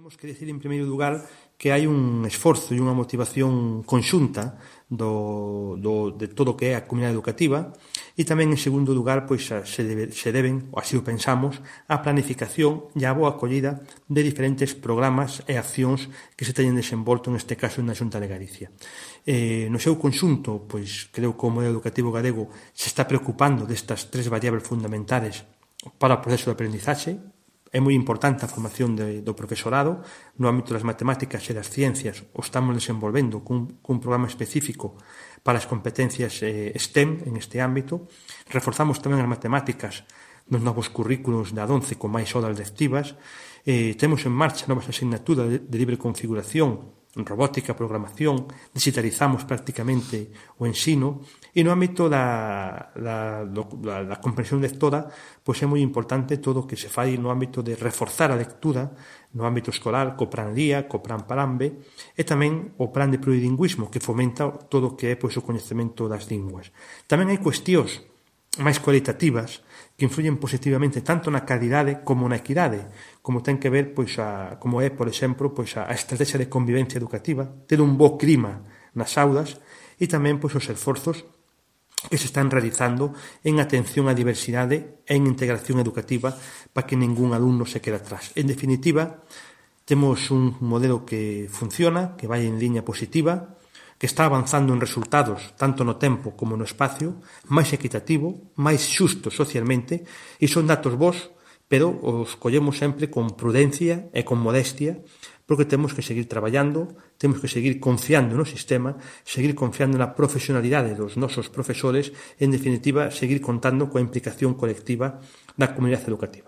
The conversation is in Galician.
Temos que dicir, en primeiro lugar, que hai un esforzo e unha motivación conxunta de todo o que é a comunidade educativa e tamén, en segundo lugar, pois se deben, ou así o pensamos, a planificación e a boa acollida de diferentes programas e accións que se teñen desenvolto, neste caso, na Xunta de Galicia. No seu conxunto, pois, creo que o modelo educativo galego se está preocupando destas tres variables fundamentais para o proceso de aprendizaxe. É moi importante a formación do profesorado no ámbito das matemáticas e das ciencias. O estamos desenvolvendo cun programa específico para as competencias STEM en este ámbito. Reforzamos tamén as matemáticas nos novos currículos da 11 con máis horas lectivas. Temos en marcha novas asignaturas de libre configuración, robótica, programación, digitalizamos prácticamente o ensino e no ámbito da comprensión lectora, pois é moi importante todo o que se fai no ámbito de reforzar a lectura no ámbito escolar, co Plan LIA, co Plan Parambe e tamén o Plan de plurilingüismo que fomenta todo o que é pois, o coñecemento das linguas. Tamén hai cuestións máis cualitativas que influyen positivamente tanto na calidade como na equidade, como ten que ver, pois, como é, por exemplo, pois, a estrategia de convivencia educativa, ter un bo clima nas aulas e tamén pois, os esforzos que se están realizando en atención á diversidade e en integración educativa para que ningún alumno se quede atrás. En definitiva, temos un modelo que funciona, que vai en liña positiva, que está avanzando en resultados tanto no tempo como no espacio, máis equitativo, máis xusto socialmente, e son datos bons, pero os collemos sempre con prudencia e con modestia, porque temos que seguir traballando, temos que seguir confiando no sistema, seguir confiando na profesionalidade dos nosos profesores e, en definitiva, seguir contando coa implicación colectiva da comunidade educativa.